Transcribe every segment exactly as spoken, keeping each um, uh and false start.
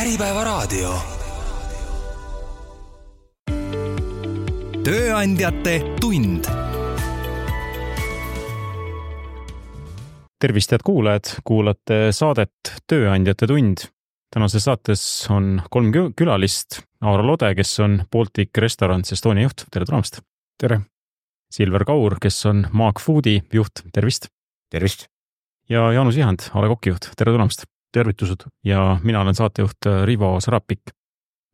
Äripäevaraadio. Tööandjate tund. Tervist, head kuulajad, kuulate saadet Tööandjate tund. Tänases saates on kolm külalist. Aaro Lode, kes on Baltic Restaurants Estonia juht. Tere tulemast! Tere! Silver Kaur, kes on Maag Foodi juht. Tervist! Tervist! Ja Jaanus Ihand, A Le Coq'i juht. Tere tulemast! Tervitused! Ja mina olen saatejuht Rivo Sarapik.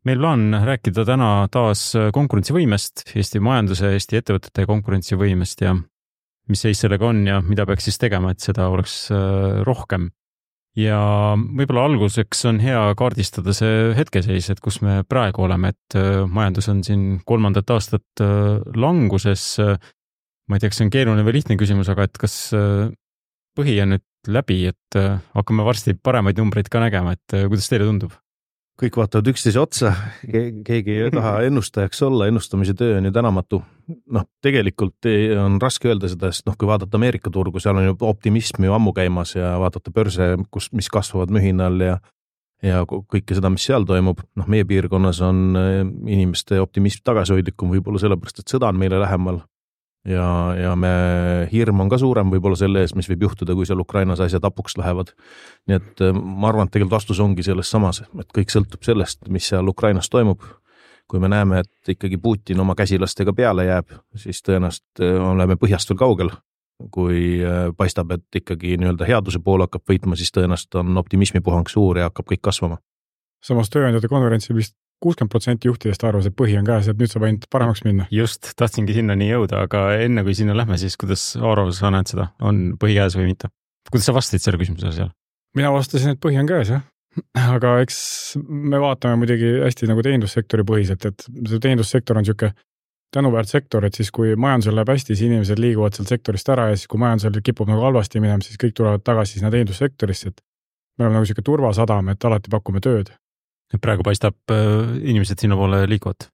Meil plaan rääkida täna taas konkurentsivõimest, Eesti majanduse, Eesti ettevõtete konkurentsivõimest ja mis seis sellega on ja mida peaks siis tegema, et seda oleks rohkem. Ja võib-olla alguseks on hea kaardistada see hetkeseis, et kus me praegu oleme, et majandus on siin kolmandat aastat languses. Ma ei tea, kas see on keeruline või lihtne küsimus, aga et kas põhi on nüüd läbi, et hakkame varsti paremaid numbreid ka nägema, et kuidas teile tundub? Kõik vaatavad üksteise otsa, keegi ei taha ennustajaks olla, ennustamise töö on ju tänamatu. Noh, tegelikult on raske öelda seda, sest noh, kui vaadata Ameerika turgu, seal on ju optimism ju ammu käimas ja vaadata börse, kus, mis kasvavad mühinal ja, ja kõike seda, mis seal toimub. Noh, meie piirkonnas on inimeste optimism tagasihoidlikum võib-olla sellepärast, et sõda on meile lähemal. Ja, ja me hirm on ka suurem võib-olla selle ees, mis võib juhtuda, kui seal Ukrainas asjad apuks lähevad. Nii et ma arvan, et tegelikult vastus ongi selles samas, et kõik sõltub sellest, mis seal Ukrainas toimub. Kui me näeme, et ikkagi Putin oma käsilastega peale jääb, siis tõenäoliselt oleme põhjast veel kaugel. Kui paistab, et ikkagi nii-öelda headuse pool hakkab võitma, siis tõenäoliselt on optimismi puhang suur ja hakkab kõik kasvama. Samas tööandjate konverentsil vist kuuskümmend protsenti juhtidest arvas, et põhi on käes, et nüüd saab ainult paremaks minna. Just, tahtsingi sinna nii jõuda, aga enne kui sinna lähme, siis kuidas Aaro sa näed seda? On põhi käes või mitte? Kuidas sa vastasid selle küsimusele seal? Mina vastasin, et põhi on käes, jah. Aga eks me vaatame muidugi hästi nagu teenindussektori põhiselt, et see teenindussektor on siuke tänuväärt sektor, et siis kui majandusel läheb hästi, siis inimesed liiguvad sealt sektorist ära ja siis kui majandusel kipub nagu halvasti minema, siis kõik tulevad tagasi sinna teenindussektorisse, et me oleme nagu siuke turvasadam, et alati pakume tööd. Praegu paistab inimesed sinna poole liikuvad?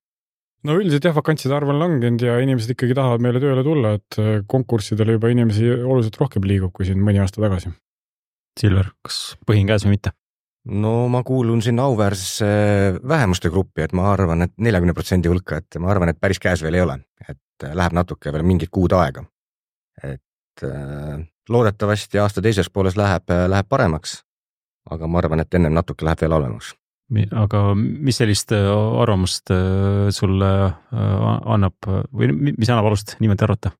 No üldiselt jah, vakantside arv on langenud ja inimesed ikkagi tahavad meile tööle tulla, et konkurssidele juba inimesi oluliselt rohkem liigub kui siin mõni aasta tagasi. Silver, kas põhi on käes või mitte? No ma kuulun sinna auväärsesse vähemuste gruppi, et ma arvan, et neljakümne protsendi hulka, et ma arvan, et päris käes veel ei ole, et läheb natuke veel mingid kuud aega. Et loodetavasti aasta teises pooles läheb, läheb paremaks, aga ma arvan, et ennem natuke läheb veel halvemaks. Aga mis sellist arvamust sulle annab või mis annab alust niimoodi arvata?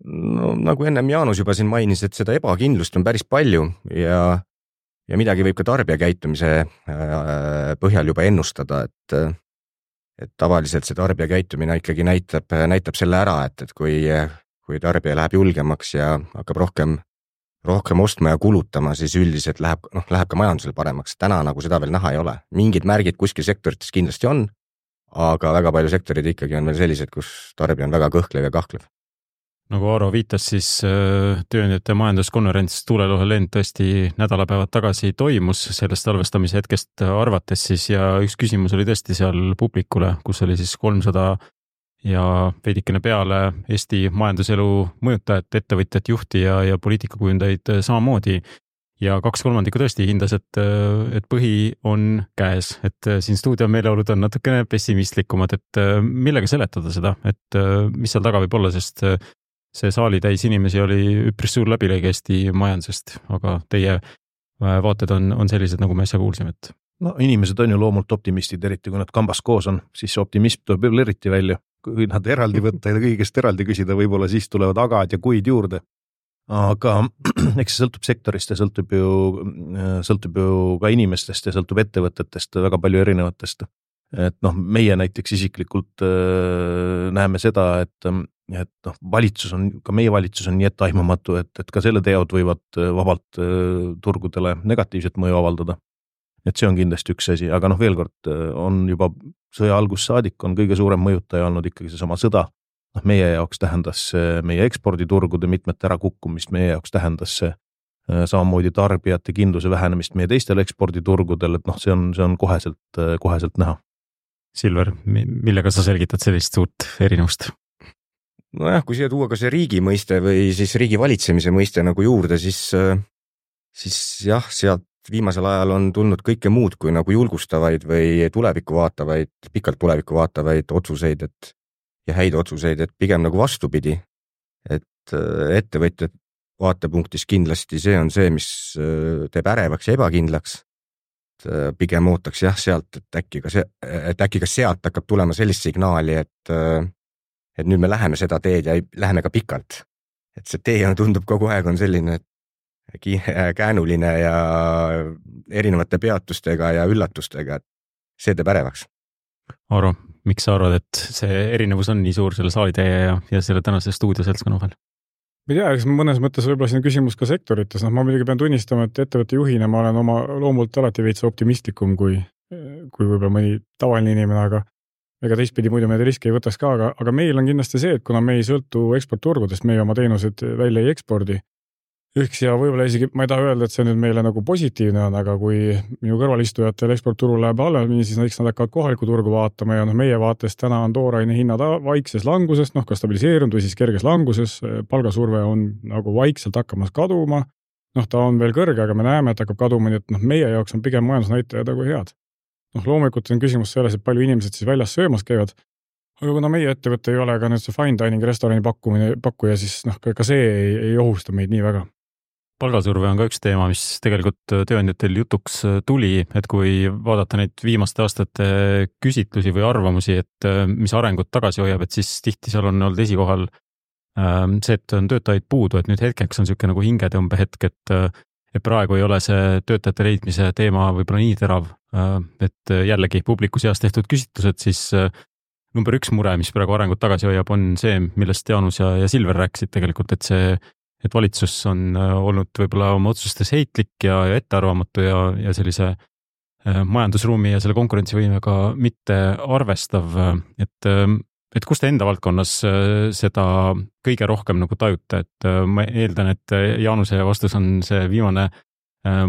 No nagu ennem Jaanus juba siin mainis, et seda ebakindlust on päris palju ja, ja midagi võib ka tarbija käitumise põhjal juba ennustada, et, et tavaliselt see tarbija käitumine ikkagi näitab, näitab selle ära, et, et kui, kui tarbija läheb julgemaks ja hakkab rohkem rohkem ostma ja kulutama, siis üldiselt läheb, noh, läheb ka majandusel paremaks. Täna nagu seda veel näha ei ole. Mingid märgid kuskil sektorites kindlasti on, aga väga palju sektorid ikkagi on veel sellised, kus tarbija on väga kõhklev ja kahklev. Nagu Aaro viitas, siis tööandjate majanduskonverents Tuulelohe lend tõesti nädalapäevad tagasi toimus sellest salvestamise hetkest arvates siis ja üks küsimus oli tõesti seal publikule, kus oli siis kolmsada ja veidikene peale Eesti majanduselu mõjutajat, ettevõtjat, juhti ja, ja poliitikakujundajaid samamoodi. Ja kaks kolmandikku tõesti hindas, et, et põhi on käes, et siin stuudio meeleolud on natukene pessimistlikumad, et millega seletada seda, et mis seal taga võib olla, sest see saali täis inimesi oli üpris suur läbilõige Eesti majandusest, aga teie vaated on, on sellised, nagu me äsja kuulsime, et no inimesed on ju loomult optimistid, eriti kui nad kambas koos on, siis optimism tuleb veel eriti välja. Kui nad eraldi võtta ja kõigest eraldi küsida, võib-olla siis tulevad agad ja kuid juurde. Aga eks see sõltub sektorist ja sõltub ju, sõltub ju ka inimestest ja sõltub ettevõtetest, väga palju erinevatest. Et noh, meie näiteks isiklikult äh, näeme seda, et, et noh, valitsus on, ka meie valitsus on nii etteaimamatu, et, et ka selle teod võivad vabalt äh, turgudele negatiivset mõju avaldada. Et see on kindlasti üks asi, aga noh, veel kord on juba sõja algus saadik on kõige suurem mõjutaja olnud ikkagi see sama sõda. Noh, meie jaoks tähendas meie eksporditurgude mitmet ära kukkumist, meie jaoks tähendas see samamoodi tarbijate kindluse vähenemist meie teistel eksporditurgudel, et noh, see on, see on koheselt, koheselt näha. Silver, millega sa selgitad sellist suurt erinevust? Nojah, kui siia tuua ka see riigi mõiste või siis riigi valitsemise mõiste nagu juurde, siis, siis jah, sealt viimasel ajal on tulnud kõike muud kui nagu julgustavaid või tulevikku vaatavaid, pikalt tulevikku vaatavaid otsuseid, et ja häid otsuseid, et pigem nagu vastupidi, et ettevõtjad vaatepunktis kindlasti see on see, mis teeb ärevaks ja ebakindlaks. Pigem ootaks jah sealt, et äkki ka, see, et äkki ka sealt hakkab tulema sellist signaali, et, et nüüd me läheme seda teed ja läheme ka pikalt. Et see tee on, tundub kogu aeg on selline käänuline ja erinevate peatustega ja üllatustega, et see teeb ärevaks. Aaro, miks sa arvad, et see erinevus on nii suur selle saalitäie ja, ja selle tänase stuudioseltskonna vahel? Ma ei tea, eks mõnes mõttes võib-olla siin küsimus ka sektorites, noh ma muidugi pean tunnistama, et ettevõtte juhina ma olen oma loomult alati veits optimistlikum kui, kui võib-olla mõni tavaline inimene, aga ega teistpidi muidu meid riski ei võtaks ka, aga, aga meil on kindlasti see, et kuna me ei sõltu eksportturgudest, meie oma teenused välja ei ekspordi, üks ja võib-olla isegi, ma ei taha öelda, et see nüüd meile nagu positiivne on, aga kui minu kõrvalistujatel eksportturul läheb halvemini, siis näiteks nad hakkavad kohalikku turgu vaatama ja noh, meie vaates täna on tooraine hinnad vaikses languses, noh ka stabiliseerunud või siis kerges languses, palgasurve on nagu vaikselt hakkamas kaduma, noh ta on veel kõrge, aga me näeme, et hakkab kaduma, nii et noh, meie jaoks on pigem majandusnäitajad nagu head. Noh loomulikult on küsimus selles, et palju inimesed siis väljas söömas käivad, aga kuna meie ettevõte ei ole ka nüüd see fine dining restorani pakkumine, pakkuja, siis noh, ka see ei, ei ohusta meid nii väga. Palgasurve on ka üks teema, mis tegelikult tööandjatel jutuks tuli, et kui vaadata neid viimaste aastate küsitlusi või arvamusi, et mis arengut tagasi hoiab, et siis tihti seal on olnud esikohal see, et on töötajaid puudu, et nüüd hetkeks on niisugune nagu hingetõmbe hetk, et, et praegu ei ole see töötajate leidmise teema võib-olla nii terav, et jällegi publiku seas tehtud küsitlused, siis number üks mure, mis praegu arengut tagasi hoiab, on see, millest Jaanus ja, ja Silver rääkisid tegelikult, et see et valitsus on olnud võib-olla oma otsustes heitlik ja, ja ettearvamatu ja, ja sellise majandusruumi ja selle konkurentsivõimega mitte arvestav, et, et kus te enda valdkonnas seda kõige rohkem nagu tajute, et ma eeldan, et Jaanuse vastus on see viimane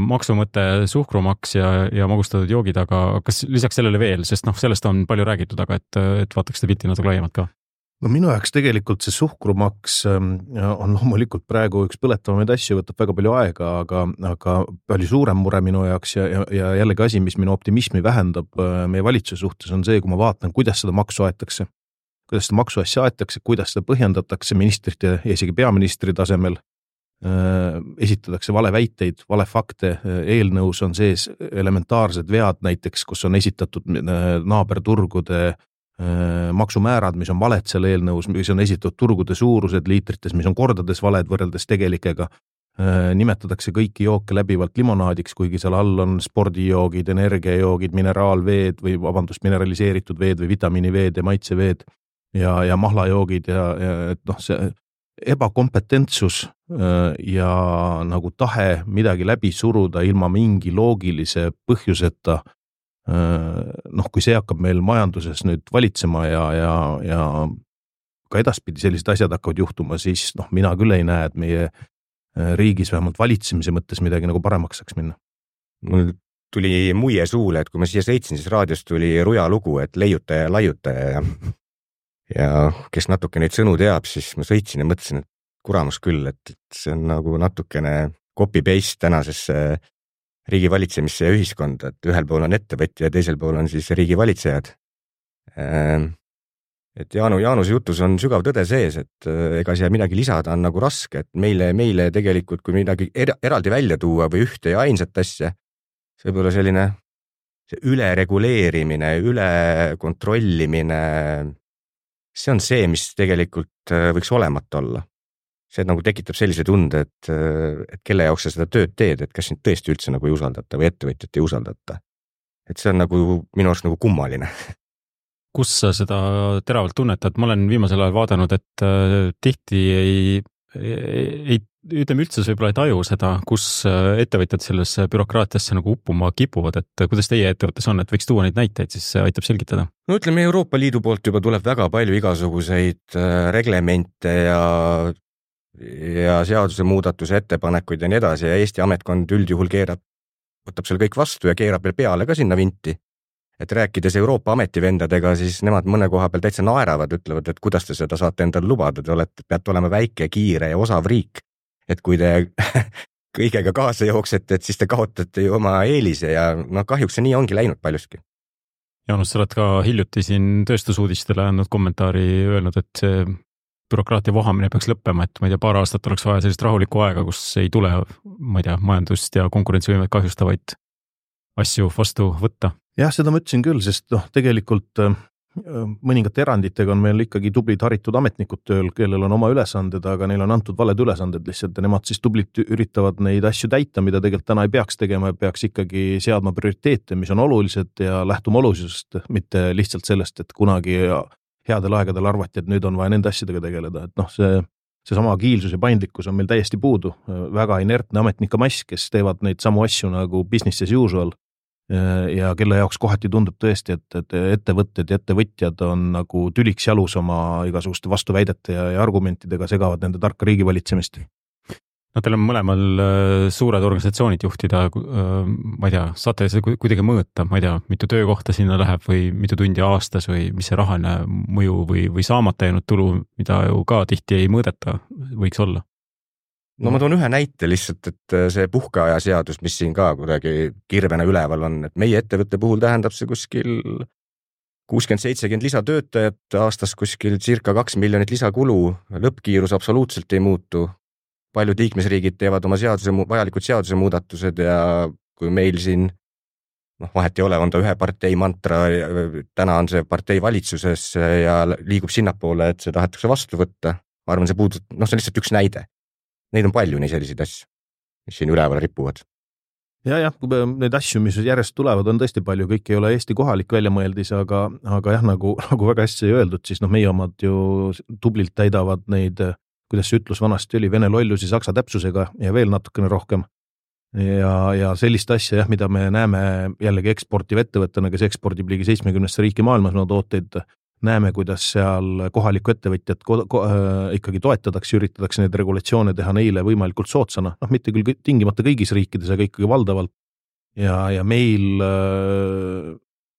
maksumõte, suhkrumaks ja, ja magustatud joogid, aga kas lisaks sellele veel, sest noh, sellest on palju räägitud, aga et, et vaataks te pilti natuke laiemalt ka? No minu jaoks tegelikult see suhkrumaks on loomulikult praegu üks põletavamaid asju, võtab väga palju aega, aga, aga palju suurem mure minu jaoks ja, ja, ja jällegi asi, mis minu optimismi vähendab meie valitsuse suhtes, on see, kui ma vaatan, kuidas seda maksu aetakse, kuidas seda maksuasja aetakse, kuidas seda põhjendatakse ministrite ja isegi peaministri tasemel, esitatakse vale väiteid, vale fakte, eelnõus on sees elementaarsed vead näiteks, kus on esitatud naaberturgude maksumäärad, mis on valed seal eelnõus, mis on esitatud turgude suurused liitrites, mis on kordades valed võrreldes tegelikega. Nimetatakse kõiki jooke läbivalt limonaadiks, kuigi seal all on spordijoogid, energiajoogid, mineraalveed või vabandust, mineraliseeritud veed või vitamiiniveed ja maitseveed ja, ja mahlajoogid ja, ja et noh, see ebakompetentsus ja nagu tahe midagi läbi suruda ilma mingi loogilise põhjuseta, noh, kui see hakkab meil majanduses nüüd valitsema ja, ja, ja ka edaspidi sellised asjad hakkavad juhtuma, siis noh, mina küll ei näe, et meie riigis vähemalt valitsemise mõttes midagi nagu paremaks saaks minna. Mul tuli muie suule, et kui ma siia sõitsin, siis raadios tuli ruja lugu, et leiutaja ja laiutaja ja, ja kes natuke neid sõnu teab, siis ma sõitsin ja mõtlesin, et kuramus küll, et see on nagu natukene copy-paste tänasesse riigi valitsemisse ja ühiskonda, et ühel pool on ettevõtja ja teisel pool on siis riigi valitsejad. Et Jaanu, Jaanuse jutus on sügav tõde sees, et ega siia midagi lisada on nagu raske, et meile, meile tegelikult, kui midagi eraldi välja tuua või ühte ja ainsat asja, see võib olla selline see ülereguleerimine, üle kontrollimine, see on see, mis tegelikult võiks olemata olla. See nagu tekitab sellise tunde, et, et kelle jaoks sa seda tööd teed, et kas sind tõesti üldse nagu ei usaldata või ettevõtjat ei usaldata. Et see on nagu minu arust nagu kummaline. Kus sa seda teravalt tunnetad? Ma olen viimasel ajal vaadanud, et tihti ei, ei, ütleme üldse võib-olla ei taju seda, kus ettevõtjad sellesse bürokraatiasse nagu uppuma kipuvad, et kuidas teie ettevõttes on, et võiks tuua neid näiteid, siis see aitab selgitada. No ütleme, Euroopa Liidu poolt juba tuleb väga palju igasuguseid reglemente ja ja seaduse muudatuse ettepanekuid ja nii edasi ja Eesti ametkond üldjuhul keerab, võtab seal kõik vastu ja keerab veel peale ka sinna vinti. Et rääkides Euroopa ametivendadega, siis nemad mõne koha peal täitsa naeravad, ütlevad, et kuidas te seda saate endale lubada, te olete, peate olema väike, kiire ja osav riik. Et kui te kõigega kaasa jooksete, et siis te kaotate ju oma eelise ja noh, kahjuks see nii ongi läinud paljuski. Jaanus, sa oled ka hiljuti siin tööstusuudistele andnud kommentaari öelnud, et see bürokraatia vohamine peaks lõppema, et ma ei tea, paar aastat oleks vaja sellist rahulikku aega, kus ei tule, ma ei tea, majandust ja konkurentsivõimet kahjustavaid asju vastu võtta. Jah, seda ma ütlesin küll, sest noh, tegelikult mõningate eranditega on meil ikkagi tublid haritud ametnikud tööl, kellel on oma ülesanded, aga neil on antud valed ülesanded lihtsalt ja nemad siis tublit üritavad neid asju täita, mida tegelikult täna ei peaks tegema ja peaks ikkagi seadma prioriteete, mis on olulised ja lähtuma olulisusest, mitte lihtsalt sellest, et kunagi headel aegadel arvati, et nüüd on vaja nende asjadega tegeleda, et noh, see see sama agiilsus ja paindlikkus on meil täiesti puudu, väga inertne ametnike mass, kes teevad neid samu asju nagu business as usual ja kelle jaoks kohati tundub tõesti, et, et ettevõtted ja ettevõtjad on nagu tüliks jalus oma igasuguste vastuväidete ja, ja argumentidega segavad nende tarka riigivalitsemist. No teil on mõlemal suured organisatsioonid juhtida, ma ei tea, saate see kuidagi mõõta, ma ei tea, mitu töökohta sinna läheb või mitu tundi aastas või mis see rahaline mõju või, või saamata jäänud tulu, mida ju ka tihti ei mõõdeta, võiks olla? No ma toon ühe näite lihtsalt, et see puhkeaja seadus, mis siin ka kuidagi kirvena üleval on, et meie ettevõtte puhul tähendab see kuskil kuuskümmend seitsekümmend lisatöötajat, aastas kuskil circa kaks miljonit lisakulu, lõppkiirus absoluutselt ei muutu. Paljud liikmesriigid teevad oma seaduse, vajalikud seaduse muudatused ja kui meil siin, noh vahet ei ole, on ta ühe partei mantra, täna on see partei valitsuses ja liigub sinnapoole, et see tahetakse vastu võtta. Ma arvan, see puudub, noh see on lihtsalt üks näide. Neid on palju nii selliseid asju, mis siin üleval ripuvad. Ja, jah, need asju, mis järjest tulevad, on tõesti palju, kõik ei ole Eesti kohalik väljamõeldis, aga, aga jah, nagu, nagu väga hästi öeldud, siis noh, meie omad ju tublilt täidavad neid, kuidas see ütlus vanasti oli, vene lollusi saksa täpsusega ja veel natukene rohkem. Ja, ja sellist asja, jah, mida me näeme jällegi eksportiv ettevõttena, kes ekspordib ligi seitsmekümnesse riiki maailmas no tooteid, näeme, kuidas seal kohalikku ettevõtjat ko- ko- äh, ikkagi toetatakse, üritatakse neid regulatsioone teha neile võimalikult sootsana, noh mitte küll tingimata kõigis riikides, aga ikkagi valdavalt. Ja, ja meil äh,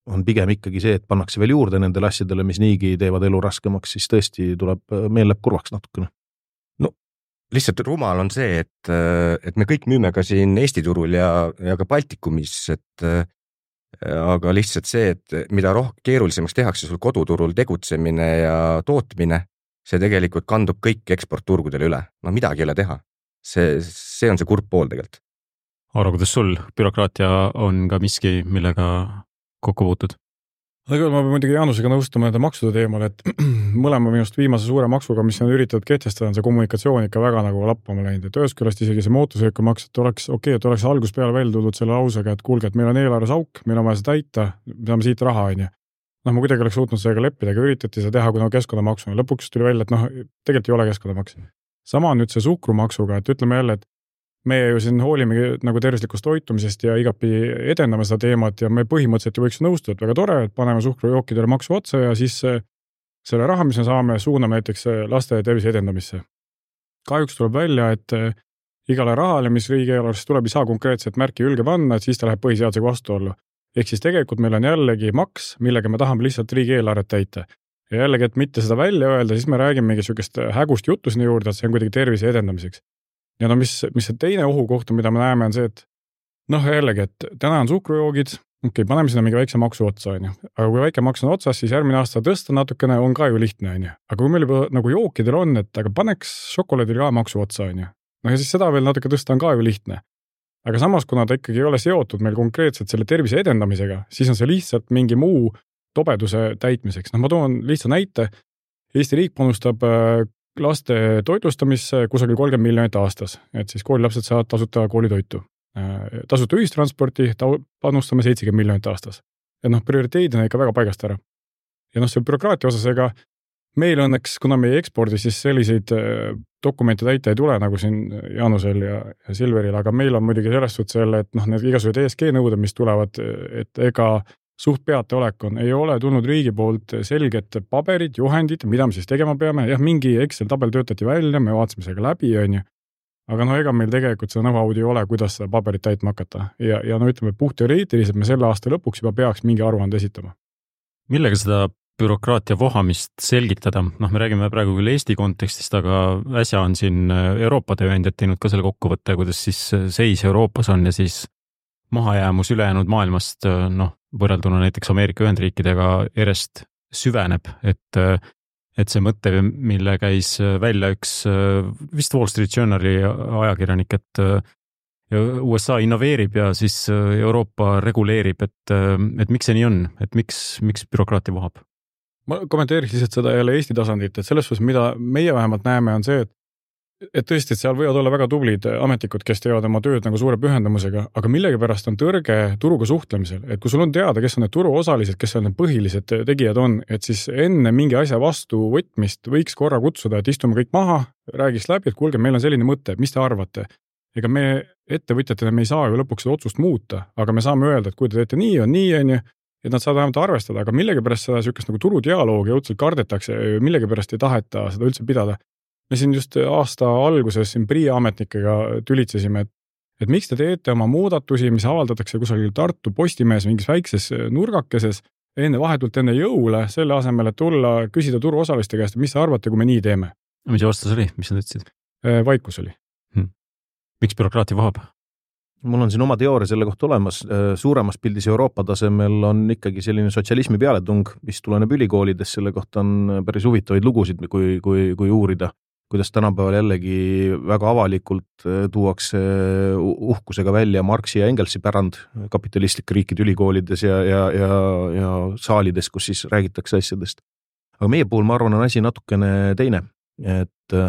on pigem ikkagi see, et pannakse veel juurde nendele asjadele, mis niigi teevad elu raskemaks, siis tõesti tuleb, meil läheb kurvaks natukene. No lihtsalt rumal on see, et, et me kõik müüme ka siin Eesti turul ja, ja ka Baltikumis, et aga lihtsalt see, et mida rohkem keerulisemaks tehakse sul koduturul tegutsemine ja tootmine, see tegelikult kandub kõik eksportturgudele üle. No midagi ei ole teha. See, see on see kurb pool tegelikult. Aaro, kuidas sul bürokraatia on ka miski, millega kokku puutud? Aga ma pean muidugi Jaanusega nõustama nende maksude teemal, et mõlema minust viimase suure maksuga, mis on üritatud kehtestada, on see kommunikatsioon ikka väga nagu lappama läinud, et ühest küljest isegi see mootorsõiduki maks, et oleks okei, okay, et oleks algus peale välja tuldud selle lausega, et kuulge, et meil on eelarves auk, meil on vaja seda täita, me saame siit raha, on ju. Noh, ma kuidagi oleks suutnud sellega leppida, aga üritati seda teha, kui no keskkonnamaksu. Lõpuks tuli välja, et noh, tegelikult ei ole keskkonnamaks. Sama on nüüd see suhkrumaksuga, et ütleme jälle, et meie ju siin hoolimegi nagu tervislikust toitumisest ja igapi edendame seda teemat ja me põhimõtteliselt ju võiks nõustuda, et väga tore, et paneme suhkrujookidele maksu otsa ja siis selle raha, mis me saame, suuname näiteks laste tervise edendamisse. Kahjuks tuleb välja, et igale rahale, mis riigieelarvest tuleb, ei saa konkreetset märki ülge panna, et siis ta läheb põhiseadusega vastuollu. Ehk siis tegelikult meil on jällegi maks, millega me tahame lihtsalt riigieelarvet täita. Ja jällegi, et mitte seda välja öelda, siis me räägime mingi sükest hägust juttu sinna juurde, et see on kuidagi tervise edendamiseks. Ja no mis, mis see teine ohukoht, mida me näeme, on see, et noh, jällegi, et täna on suhkrujoogid, okei, okay, paneme sinna mingi väikse maksu otsa, on ju. Aga kui väike maks on otsas, siis järgmine aasta tõsta natukene on ka ju lihtne, on ju. Aga kui meil juba nagu jookidel on, et aga paneks šokolaadil ka maksu otsa, on ju. No ja siis seda veel natuke tõsta on ka ju lihtne. Aga samas, kuna ta ikkagi ei ole seotud meil konkreetselt selle tervise edendamisega, siis on see lihtsalt mingi muu tobeduse täitmiseks. No ma toon lihtsa näite. Eesti riik panustab laste toitlustamisse kusagil kolmkümmend miljonit aastas, et siis koolilapsed saavad tasuta koolitoitu. Tasuta ühistransporti panustame seitsekümmend miljonit aastas. Et noh, prioriteedid on ikka väga paigast ära. Ja noh, see bürokraatia osas, ega meil õnneks, kuna meie ekspordi, siis selliseid dokumente täita ei tule nagu siin Jaanusel ja, ja Silveril, aga meil on muidugi sellest suht selle, et noh, need igasugused E S G nõuded, mis tulevad, et ega suht peateolek on, ei ole tulnud riigi poolt selget paberid, juhendid, mida me siis tegema peame. Jah, mingi Excel tabel töötati välja, me vaatasime sellega läbi, on ju. Aga no ega meil tegelikult seda know-how'd ei ole, kuidas seda paberit täitma hakata. Ja, ja no ütleme, puht teoreetiliselt me selle aasta lõpuks juba peaks mingi aruande esitama. Millega seda bürokraatia vohamist selgitada, noh, me räägime praegu küll Eesti kontekstist, aga äsja on siin Euroopa tööandjad teinud ka selle kokkuvõtte, kuidas siis seis Euroopas on ja siis mahajäämus ülejäänud maailmast, noh, võrrelduna näiteks Ameerika Ühendriikidega järjest süveneb, et, et see mõte, mille käis välja üks vist Wall Street Journali ajakirjanik, et U S A innoveerib ja siis Euroopa reguleerib, et, et miks see nii on, et miks, miks bürokraatia vohab? Ma kommenteeriks lihtsalt seda jälle Eesti tasandit, et selles suhtes, mida meie vähemalt näeme, on see, et et tõesti, et seal võivad olla väga tublid ametnikud, kes teevad oma tööd nagu suure pühendumusega, aga millegipärast on tõrge turuga suhtlemisel, et kui sul on teada, kes on need turuosalised, kes on need põhilised tegijad on, et siis enne mingi asja vastu võtmist võiks korra kutsuda, et istume kõik maha, räägiks läbi, et kuulge, meil on selline mõte, mis te arvate? Ega me ettevõtjatena me ei saa ju lõpuks seda otsust muuta, aga me saame öelda, et kui te teete nii, on nii, on ju, et nad saavad vähemalt arvestada, aga millegipärast seda sükast nagu turudialoogi õudselt kardetakse, millegipärast ei taheta seda üldse pidada. Me siin just aasta alguses siin P R I ametnikega tülitsesime, et, et miks te teete oma muudatusi, mis avaldatakse kusagil Tartu Postimehes mingis väikses nurgakeses enne vahetult enne jõule, selle asemel, et tulla küsida turuosaliste käest, mis te arvate, kui me nii teeme? Mis vastus oli? Mis nad ütlesid? Vaikus oli. Hmm. Miks bürokraatia vohab? Mul on siin oma teooria selle kohta olemas. Suuremas pildis Euroopa tasemel on ikkagi selline sotsialismi pealetung, mis tuleneb ülikoolides, selle kohta on päris huvitavaid lugusid, kui, kui, kui uurida, kuidas tänapäeval jällegi väga avalikult tuuakse uhkusega välja Marxi ja Engelsi pärand kapitalistlik riikide ülikoolides ja, ja, ja, ja saalides, kus siis räägitakse asjadest. Aga meie puhul, ma arvan, on asi natukene teine, et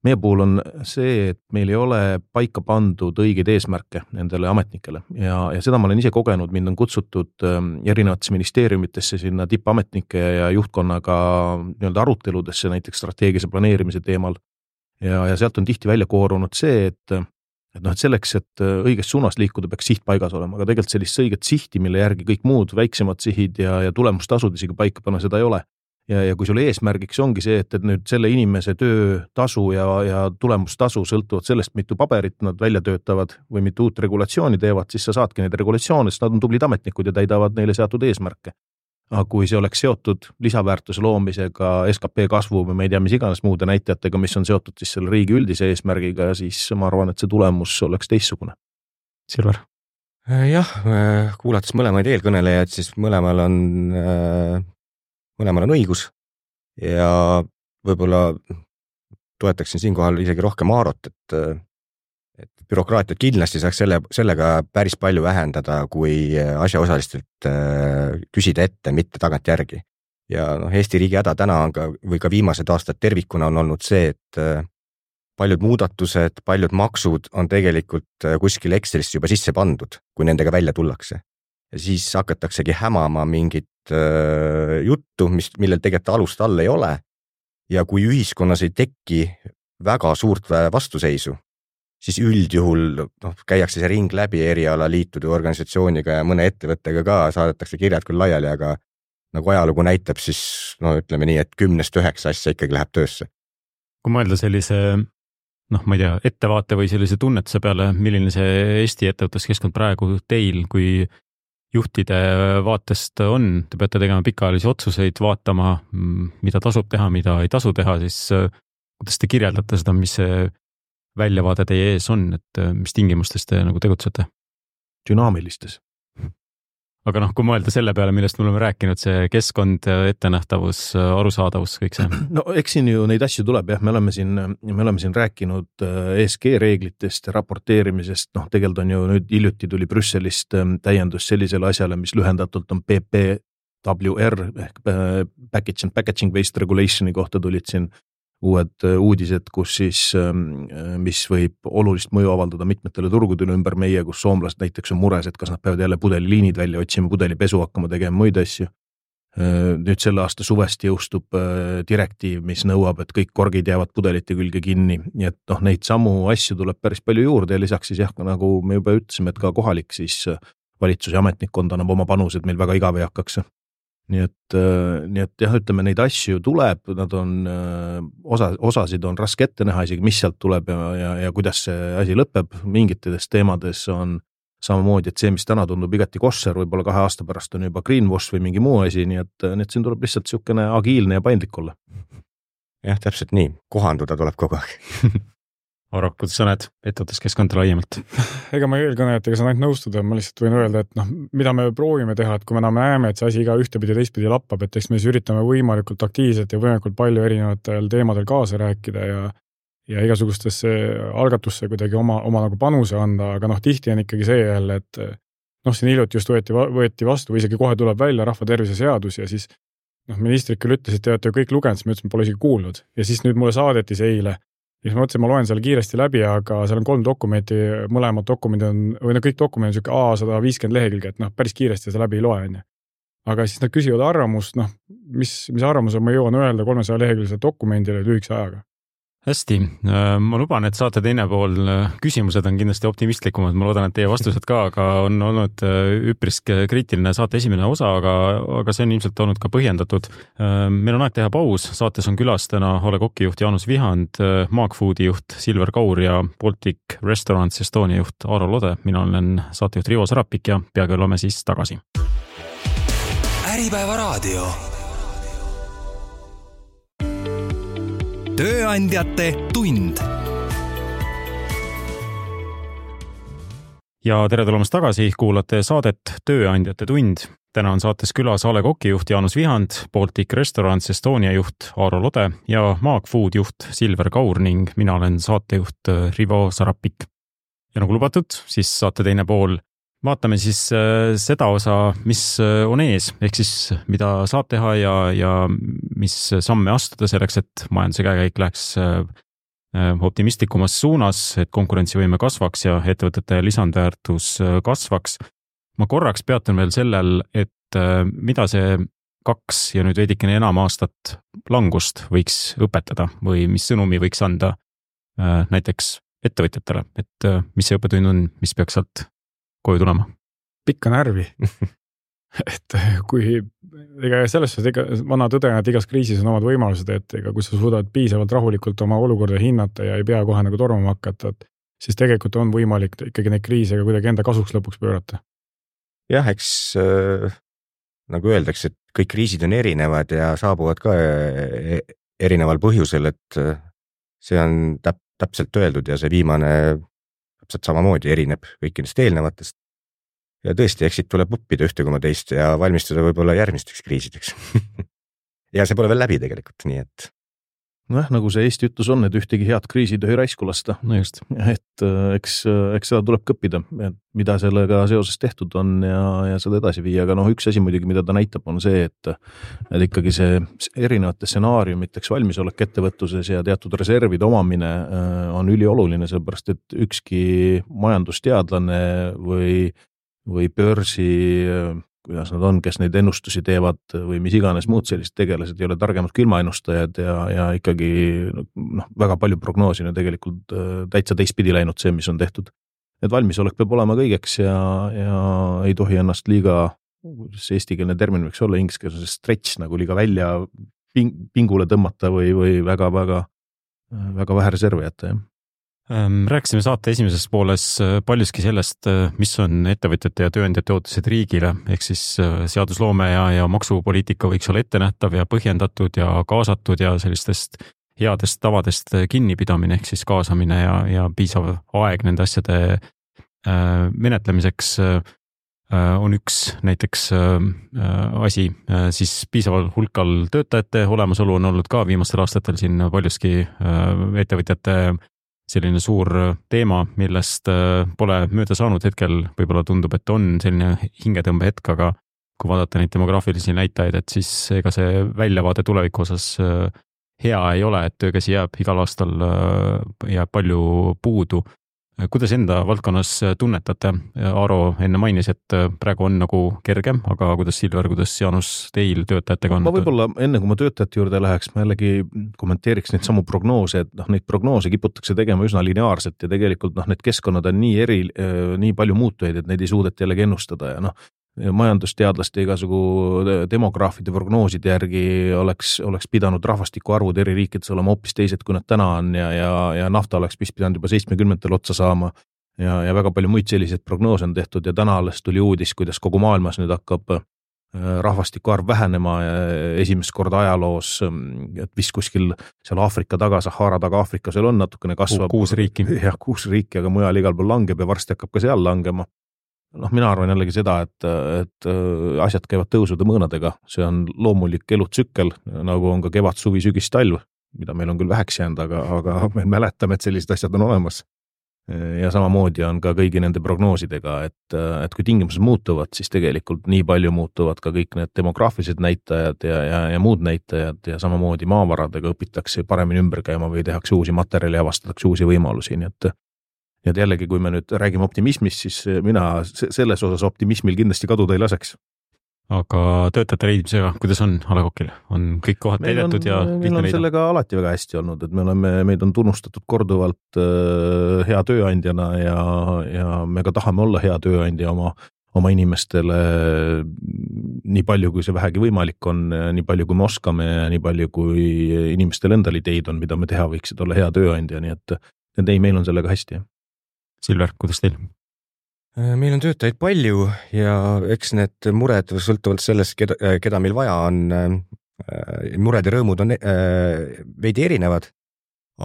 meie puhul on see, et meil ei ole paika pandud õigeid eesmärke nendele ametnikele ja, ja seda ma olen ise kogenud, mind on kutsutud erinevates ministeeriumitesse sinna tippametnike ja juhtkonnaga nii-öelda aruteludesse näiteks strateegilise planeerimise teemal ja, ja sealt on tihti välja koorunud see, et, et, noh, et selleks, et õiges suunas liikuda, peaks siht paigas olema, aga tegelikult sellist õiget sihti, mille järgi kõik muud väiksemad sihid ja, ja tulemustasud isegi paika panna, seda ei ole. Ja, ja kui sul eesmärgiks ongi see, et, et nüüd selle inimese töö tasu ja, ja tulemustasu sõltuvad sellest, mitu paberit nad välja töötavad või mitu uut regulatsiooni teevad, siis sa saadki neid regulatsioone, sest nad on tublid ametnikud ja täidavad neile seatud eesmärke. Aga kui see oleks seotud lisaväärtuse loomisega, S K P kasvu või me ei tea, mis iganes muude näitajatega, mis on seotud siis selle riigi üldise eesmärgiga, siis ma arvan, et see tulemus oleks teistsugune. Silver? Jah, kuulates mõlemaid eelkõnelejaid, siis mõlemal on mõlemal on õigus ja võib-olla toetaksin siinkohal isegi rohkem Aarot, et, et bürokraatiat kindlasti saaks selle, sellega päris palju vähendada, kui asjaosalistelt küsida ette, mitte tagant järgi. Ja noh, Eesti riigi häda täna on ka, või ka viimased aastad tervikuna on olnud see, et paljud muudatused, paljud maksud on tegelikult kuskil Excelisse juba sisse pandud, kui nendega välja tullakse. Ja siis hakataksegi hämama mingit äh, juttu, mis, millel tegelikult alust all ei ole. Ja kui ühiskonnas ei teki väga suurt vastuseisu, siis üldjuhul noh, käiakse see ring läbi erialaliitude organisatsiooniga ja mõne ettevõttega ka, saadetakse kirjad küll laiali, aga nagu ajalugu näitab, siis no ütleme nii, et kümnest üheksa asja ikkagi läheb töösse. Kui mõelda sellise, noh, ma ei tea, ettevaate või sellise tunnetuse peale, milline see Eesti ettevõtluskeskkond praegu teil, kui juhtide vaatest on, te peate tegema pikaajalisi otsuseid, vaatama, mida tasub teha, mida ei tasu teha, siis kuidas te kirjeldate seda, mis see väljavaade teie ees on, et mis tingimustes te nagu tegutsete? Dünaamilistes. Aga noh, kui mõelda selle peale, millest me oleme rääkinud, see keskkond, ettenähtavus, arusaadavus, kõik see. No eks siin ju neid asju tuleb, jah, me oleme siin, me oleme siin rääkinud E S G reeglitest ja raporteerimisest, noh, tegelikult on ju nüüd hiljuti tuli Brüsselist täiendus sellisele asjale, mis lühendatult on P P W R ehk Package and Packaging Waste Regulationi kohta tulid siin uued uudised, kus siis, mis võib olulist mõju avaldada mitmetele turgudele ümber meie, kus soomlased näiteks on mures, et kas nad peavad jälle pudeliliinid välja otsima, pudelipesu hakkama tegema muid asju. Nüüd selle aasta suvest jõustub direktiiv, mis nõuab, et kõik korgid jäävad pudelite külge kinni, nii et noh, neid samu asju tuleb päris palju juurde ja lisaks siis jah, nagu me juba ütlesime, et ka kohalik siis valitsus ja ametnikkond annab oma panused, meil väga igav ei hakkaks. Nii et, nii et jah, ütleme, neid asju tuleb, nad on, osa, osasid on raske ette näha isegi, mis sealt tuleb ja, ja, ja kuidas see asi lõpeb. Mingitedes teemades on samamoodi, et see, mis täna tundub igati kosser, võib-olla kahe aasta pärast on juba greenwash või mingi muu asi, nii et, nii et siin tuleb lihtsalt niisugune agiilne ja paindlik olla. Jah, täpselt nii, kohanduda tuleb kogu aeg. Aro, kuidas sa näed ettevõttes keskkonda laiemalt? Ega ma eelkõnejatega saan ainult nõustuda, ma lihtsalt võin öelda, et noh, mida me proovime teha, et kui me näeme, et see asi iga ühtepidi teistpidi lappab, et eks me siis üritame võimalikult aktiivselt ja võimalikult palju erinevatel teemadel kaasa rääkida ja ja igasugustesse algatusse kuidagi oma, oma nagu panuse anda, aga noh, tihti on ikkagi see jälle, et noh, siin hiljuti just võeti, võeti vastu või isegi kohe tuleb välja rahva tervise seadus ja siis noh, ministrid küll ütles, et te olete kõik lugenud, siis ma ütlesin, pole isegi kuulnud ja siis nüüd mulle saadeti see eile ja siis ma mõtlesin, ma loen selle kiiresti läbi, aga seal on kolm dokumenti, mõlemad dokumendid on, või no kõik dokumendid on siuke A sada viiskümmend lehekülge, et noh, päris kiiresti seda läbi ei loe, on ju. Aga siis nad küsivad arvamust, noh, mis, mis arvamuse ma jõuan öelda kolmesaja lehekülgse dokumendile lühikese ajaga. Hästi, ma luban, et saate teine pool küsimused on kindlasti optimistlikumad, ma loodan, et teie vastused ka, aga on olnud üpris kriitiline saate esimene osa, aga, aga see on ilmselt olnud ka põhjendatud. Meil on aeg teha paus, saates on külas täna A Le Coq'i juht Jaanus Vihand, Maagfoodi juht Silver Kaur ja Baltic Restaurants Estonia juht Aaro Lode. Mina olen saatejuht Rivo Sarapik ja peagi oleme siis tagasi. Äripäeva raadio. Tööandjate tund. Ja tere tulemast tagasi, kuulate saadet Tööandjate tund. Täna on saates külas A Le Coq'i juht Jaanus Vihand, Baltic Restaurants Estonia juht Aaro Lode ja Maagfood juht Silver Kaur ning mina olen saatejuht Rivo Sarapik. Ja nagu lubatud, siis saate teine pool. Vaatame siis seda osa, mis on ees, ehk siis mida saab teha ja, ja mis samme astuda selleks, et majanduse käekäik läheks optimistlikumas suunas, et konkurentsivõime kasvaks ja ettevõtete lisandväärtus kasvaks. Ma korraks peatun veel sellel, et mida see kaks ja nüüd veidikene enam aastat langust võiks õpetada või mis sõnumi võiks anda näiteks ettevõtjatele, et mis see õppetund on, mis peaks sealt koju tulema? Pikka närvi. et kui, ega selles suhtes ega vana tõde, et igas kriisis on omad võimalused, et ega kui sa suudad piisavalt rahulikult oma olukorda hinnata ja ei pea kohe nagu tormama hakata, et siis tegelikult on võimalik ikkagi neid kriise kuidagi enda kasuks lõpuks pöörata. Jah, eks äh, nagu öeldakse, et kõik kriisid on erinevad ja saabuvad ka erineval põhjusel, et see on täp- täpselt öeldud ja see viimane täpselt samamoodi erineb kõikidest eelnevatest. Ja tõesti, eksid tuleb õppida ühte koma teist ja valmistuda võib-olla järgmisteks kriisideks. ja see pole veel läbi tegelikult, nii et... Noh, nagu see Eesti ütlus on, et ühtegi head kriisi tohi raisku lasta. No just. Et eks, eks seda tuleb kõppida, mida sellega seoses tehtud on ja, ja seda edasi viia. Aga noh, üks asi muidugi, mida ta näitab, on see, et, et ikkagi see erinevate stsenaariumiteks valmisolek ettevõtluses ja teatud reservide omamine on ülioluline, sellepärast et ükski majandusteadlane või, või börsi, kuidas nad on, kes neid ennustusi teevad või mis iganes muud sellised tegelased ei ole targemad kui ilmaennustajad ja, ja ikkagi noh, väga palju prognoosina tegelikult täitsa teistpidi läinud see, mis on tehtud. Et valmisolek peab olema kõigeks ja, ja ei tohi ennast liiga, see eestikeelne termin võiks olla ingliskeelse see stretch nagu liiga välja ping, pingule tõmmata või, või väga, väga, väga vähe reservi jätta, jah. Rääkisime saate esimeses pooles paljuski sellest, mis on ettevõtjate ja tööandjate ootused riigile, ehk siis seadusloome ja, ja maksupoliitika võiks olla ettenähtav ja põhjendatud ja kaasatud ja sellistest headest tavadest kinnipidamine, ehk siis kaasamine ja, ja piisav aeg nende asjade menetlemiseks on üks näiteks asi, siis piisaval hulkal töötajate olemasolu on olnud ka viimastel aastatel siin paljuski ettevõtjate selline suur teema, millest pole mööda saanud hetkel, võib-olla tundub, et on selline hingetõmbe hetk, aga kui vaadata neid demograafilisi näitajaid, et siis ega see väljavaade tuleviku osas hea ei ole, et töökäsi jääb igal aastal jääb palju puudu. Kuidas enda valdkonnas tunnetate? Aaro enne mainis, et praegu on nagu kergem, aga kuidas Silver, kuidas Jaanus teil töötajatega on? Ma võib-olla enne kui ma töötajate juurde läheks, ma jällegi kommenteeriks neid samu prognoose, et noh, neid prognoose kiputakse tegema üsna lineaarselt ja tegelikult noh, need keskkonnad on nii eri, nii palju muutujaid, et neid ei suudeta jällegi ennustada ja noh, majandusteadlaste igasugu demograafide prognooside järgi oleks, oleks pidanud rahvastiku arvud eri riikides olema hoopis teised, kui nad täna on ja, ja, ja nafta oleks pidanud juba seitsmekümnendatel otsa saama ja, ja väga palju muid selliseid prognoose on tehtud ja täna alles tuli uudis, kuidas kogu maailmas nüüd hakkab rahvastiku arv vähenema esimest korda ajaloos, et vist kuskil seal Aafrika taga, Sahara taga Aafrika seal on natukene kasvab. Kuus riiki. Jah, kuus riiki, aga mujal igal pool langeb ja varsti hakkab ka seal langema. Noh, mina arvan jällegi seda, et, et asjad käivad tõusude mõõnadega, see on loomulik elutsükkel, nagu on ka kevad, suvi, sügis, talv, mida meil on küll väheks jäänud, aga, aga me mäletame, et sellised asjad on olemas. Ja samamoodi on ka kõigi nende prognoosidega, et, et kui tingimused muutuvad, siis tegelikult nii palju muutuvad ka kõik need demograafilised näitajad ja, ja, ja muud näitajad ja samamoodi maavaradega õpitakse paremini ümber käima või tehakse uusi materjali ja avastatakse uusi võimalusi, nii et ja jällegi, kui me nüüd räägime optimismist, siis mina selles osas optimismil kindlasti kaduda ei laseks. Aga töötajate leidmisega, kuidas on A Le Coqil? On kõik kohad täidetud ja meil on sellega alati väga hästi olnud, et me oleme, meid on tunnustatud korduvalt äh, hea tööandjana ja, ja me ka tahame olla hea tööandja oma, oma inimestele nii palju, kui see vähegi võimalik on, nii palju, kui me oskame ja nii palju, kui inimestel endal ideid on, mida me teha võiksid olla hea tööandja, nii et, et ei, meil on sellega hästi. Silver, kuidas teil? Meil on töötajaid palju ja eks need mured sõltuvalt sellest, keda, keda meil vaja on, mured ja rõõmud on veidi erinevad,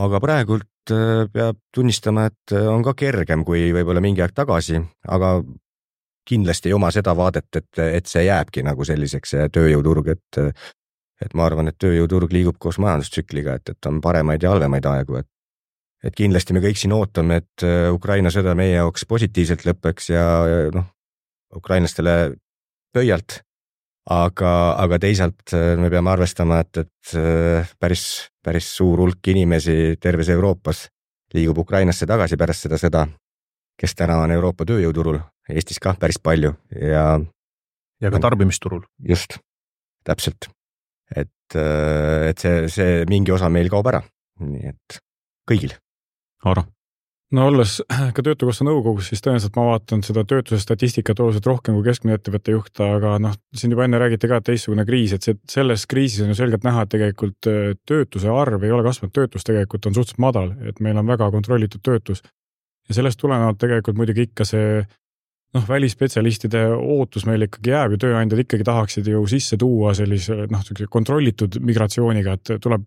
aga praegult peab tunnistama, et on ka kergem kui võib-olla mingi aeg tagasi, aga kindlasti ei oma seda vaadet, et, et see jääbki nagu selliseks tööjõuturg, et, et ma arvan, et tööjõuturg liigub koos majandustsükliga, et, et on paremaid ja halvemaid aegu, et et kindlasti me kõik siin ootame, et Ukraina sõda meie jaoks positiivselt lõpeks ja, ja noh, ukrainlastele pöialt, aga, aga teisalt me peame arvestama, et, et päris, päris suur hulk inimesi terves Euroopas liigub Ukrainasse tagasi pärast seda sõda, kes täna on Euroopa tööjõuturul, Eestis ka päris palju ja ja ka tarbimisturul. Just, täpselt. Et, et see, see mingi osa meil kaob ära, nii et kõigil. Aaro? No olles ka Töötukassa nõukogus, siis tõenäoliselt ma vaatan seda töötuse statistikat oluliselt rohkem kui keskmine ettevõtte juht, aga noh, siin juba enne räägiti ka, et teistsugune kriis, et see, selles kriisis on ju selgelt näha, et tegelikult töötuse arv ei ole kasvanud, töötus tegelikult on suhteliselt madal, et meil on väga kontrollitud töötus. Ja sellest tulenevalt tegelikult muidugi ikka see noh, välispetsialistide ootus meil ikkagi jääb ja tööandjad ikkagi tahaksid ju sisse tuua sellise noh, kontrollitud migratsiooniga, et tuleb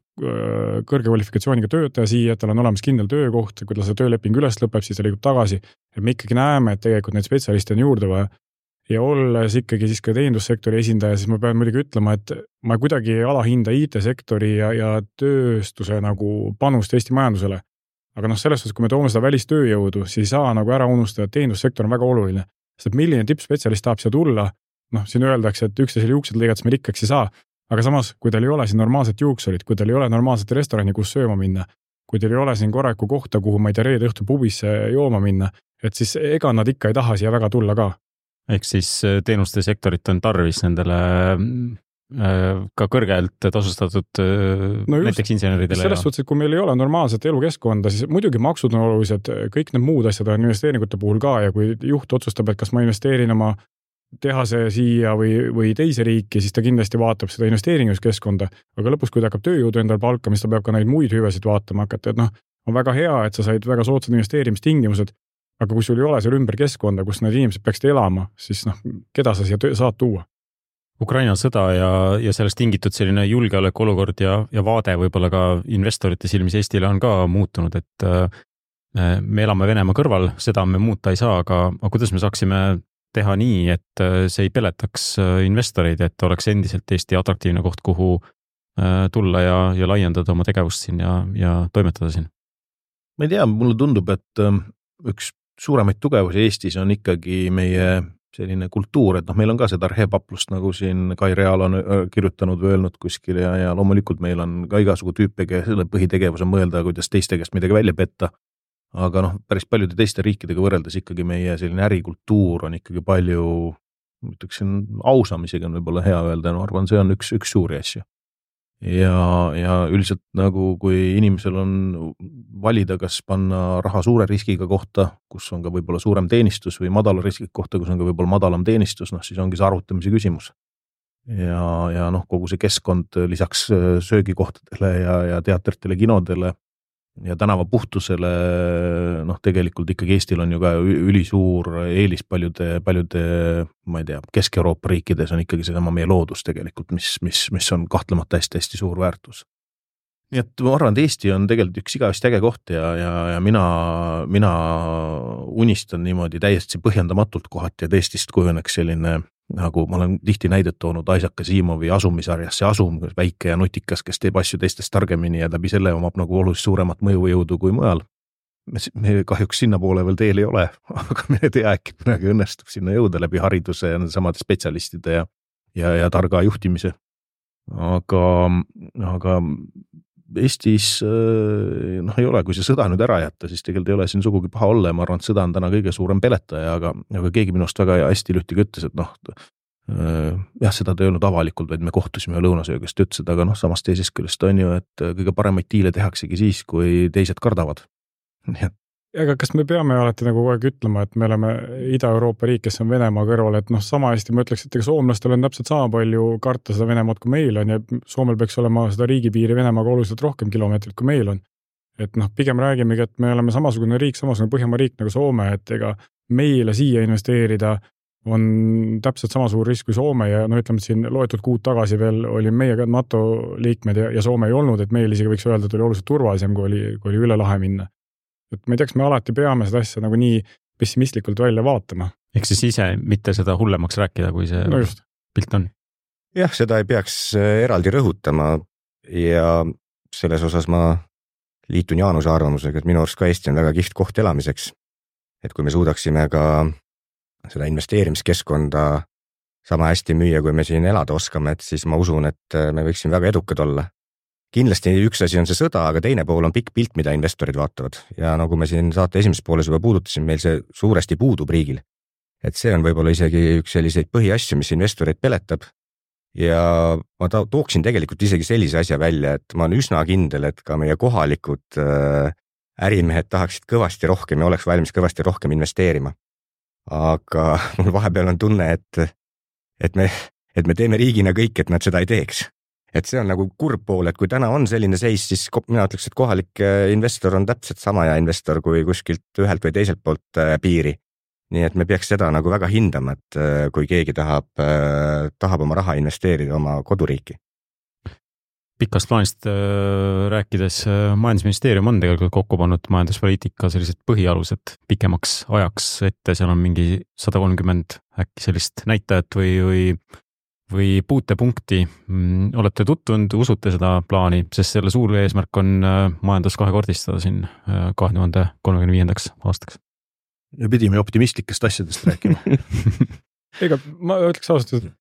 kõrge kvalifikatsiooniga töötaja siia, et tal on olemas kindel töökoht, kui tal see tööleping üles lõpeb, siis ta liigub tagasi. Et me ikkagi näeme, et tegelikult neid spetsialiste on juurde vaja. Ja olles ikkagi siis ka teenindussektori esindaja, siis ma pean muidugi ütlema, et ma kuidagi alahinda I T-sektori ja, ja tööstuse nagu panust Eesti majandusele. Aga noh, selles suhtes, kui me toome seda välistööjõudu, siis ei saa nagu ära unustada, et teenindussektor on väga oluline. Sest milline tippspetsialist tahab siia tulla, noh, siin öeldakse, et üksteisel juuksed lõigates me rikkaks ei saa, aga samas, kui teil ei ole siin normaalset juuksurit, kui teil ei ole normaalset restorani, kus sööma minna, kui teil ei ole siin korralikku kohta, kuhu ma ei tea reede õhtu pubisse jooma minna, et siis ega nad ikka ei taha siia väga tulla ka. Ehk siis teenuste sektorit on tarvis nendele ka kõrgelt tasustatud no just, näiteks inseneridele. Selles suhtes, et kui meil ei ole normaalset elukeskkonda, siis muidugi maksud on olulised, kõik need muud asjad on investeeringute puhul ka ja kui juht otsustab, et kas ma investeerin oma tehase siia või, või teise riiki, siis ta kindlasti vaatab seda investeeringuskeskkonda, aga lõpus, kui ta hakkab tööjõudu endal palkama, siis ta peab ka neid muid hüvesid vaatama hakata, et noh, on väga hea, et sa said väga soodsad investeerimistingimused, aga kui sul ei ole seal ümber keskkonda, kus need inimesed peaksid elama, siis noh, keda sa siia saad tuua? Ukraina sõda ja, ja sellest tingitud selline julgeoleku olukord ja, ja vaade võib-olla ka investorite silmis Eestile on ka muutunud, et me elame Venemaa kõrval, seda me muuta ei saa, aga, aga kuidas me saaksime teha nii, et see ei peletaks investoreid, et oleks endiselt Eesti atraktiivne koht, kuhu tulla ja, ja laiendada oma tegevust siin ja, ja toimetada siin? Ma ei tea, mulle tundub, et üks suuremaid tugevusi Eestis on ikkagi meie selline kultuur, et noh, meil on ka seda arhepaplust, nagu siin Kai Real on kirjutanud või öelnud kuskil ja, ja loomulikult meil on ka igasugu tüüpe, selle põhitegevus on mõelda, kuidas teiste käest midagi välja petta. Aga noh, päris paljude teiste riikidega võrreldes ikkagi meie selline ärikultuur on ikkagi palju, ütleksin, ausam isegi on võib-olla hea öelda, no arvan, see on üks, üks suuri asju. Ja, ja üldiselt nagu kui inimesel on valida, kas panna raha suure riskiga kohta, kus on ka võib-olla suurem teenistus või madala riskiga kohta, kus on ka võib-olla madalam teenistus, noh siis ongi see arvutamise küsimus. Ja, ja noh, kogu see keskkond lisaks söögikohtadele ja, ja teatritele, kinodele ja tänava puhtusele, noh tegelikult ikkagi Eestil on ju ka ülisuur eelis paljude, paljude, ma ei tea, Kesk-Euroopa riikides on ikkagi sedama meie loodus tegelikult, mis, mis, mis on kahtlemata hästi-hästi suur väärtus. Nii et ma arvan, et Eesti on tegelikult üks igavesti äge koht ja, ja, ja mina, mina unistan niimoodi täiesti põhjendamatult kohati, et Eestist kujuneks selline, nagu ma olen tihti näidet toonud Isaac Asimovi asumisarjas, see asum, väike ja nutikas, kes teeb asju teistest targemini ja läbi selle omab nagu oluliselt suuremat mõjujõudu kui mujal. Me, me kahjuks sinna poole veel teel ei ole, aga me ei tea, äkki midagi õnnestub sinna jõuda läbi hariduse ja samade spetsialistide ja, ja, ja targa juhtimise. Aga, aga Eestis noh, ei ole, kui see sõda nüüd ära jätta, siis tegelikult ei ole siin sugugi paha olla ja ma arvan, et sõda on täna kõige suurem peletaja, aga, aga keegi minust väga hästi lühtiga ütles, et noh, jah, seda ta ei olnud avalikult, vaid me kohtusime lõunasöögast ütlesid, aga noh, samast teisest küljest on ju, et kõige paremaid diile tehaksegi siis, kui teised kardavad. Nii et aga kas me peame alati nagu kogu aeg ütlema, et me oleme Ida-Euroopa riik, kes on Venemaa kõrval, et noh, sama hästi ma ütleks, et ega soomlastel on täpselt sama palju karta seda Venemaad, kui meil on ja Soomel peaks olema seda riigipiiri Venemaaga oluliselt rohkem kilomeetrit, kui meil on. Et noh, pigem räägimegi, et me oleme samasugune riik, samasugune Põhjamaa riik nagu Soome, et ega meile siia investeerida on täpselt sama suur risk kui Soome ja no ütleme, et siin loetud kuud tagasi veel oli meie ka NATO liikmed ja, ja Soome ei olnud, et meil isegi võiks öelda, et oli oluliselt turvalisem, kui oli, kui oli üle lahe minna. Et ma ei teaks, me alati peame seda asja nagu nii pessimistlikult välja vaatama. Ehk siis ise mitte seda hullemaks rääkida, kui see no pilt on. Jah, seda ei peaks eraldi rõhutama ja selles osas ma liitun Jaanuse arvamusega, et minu arust ka Eesti on väga kihvt koht elamiseks. Et kui me suudaksime ka seda investeerimiskeskkonda sama hästi müüa, kui me siin elada oskame, et siis ma usun, et me võiksime väga edukad olla. Kindlasti üks asi on see sõda, aga teine pool on pikk pilt, mida investorid vaatavad. Ja nagu me siin saate esimeses pooles juba puudutasin, meil see suuresti puudub riigil. Et see on võib-olla isegi üks selliseid põhiasju, mis investoreid peletab. Ja ma tooksin tegelikult isegi sellise asja välja, et ma olen üsna kindel, et ka meie kohalikud ärimehed tahaksid kõvasti rohkem ja oleks valmis kõvasti rohkem investeerima. Aga mul vahepeal on tunne, et, et, me, et me teeme riigina kõik, et nad seda ei teeks. Et see on nagu kurb pool, et kui täna on selline seis, siis mina ütleks, et kohalik investor on täpselt sama ja investor kui kuskilt ühelt või teiselt poolt piiri. Nii et me peaks seda nagu väga hindama, et kui keegi tahab, tahab oma raha investeerida oma koduriiki. Pikast plaanist rääkides majandusministeerium on tegelikult kokku pannud majanduspoliitika sellised põhialused pikemaks ajaks ette, seal on mingi sada kolmkümmend äkki sellist näitajat või, või või puutepunkti. Olete tutvunud, usute seda plaani, sest selle suur eesmärk on majandus kahekordistada siin kahe tuhande kolmekümne viiendaks aastaks. Ja pidime optimistlikest asjadest rääkima. Ega ma ütleks ausalt, et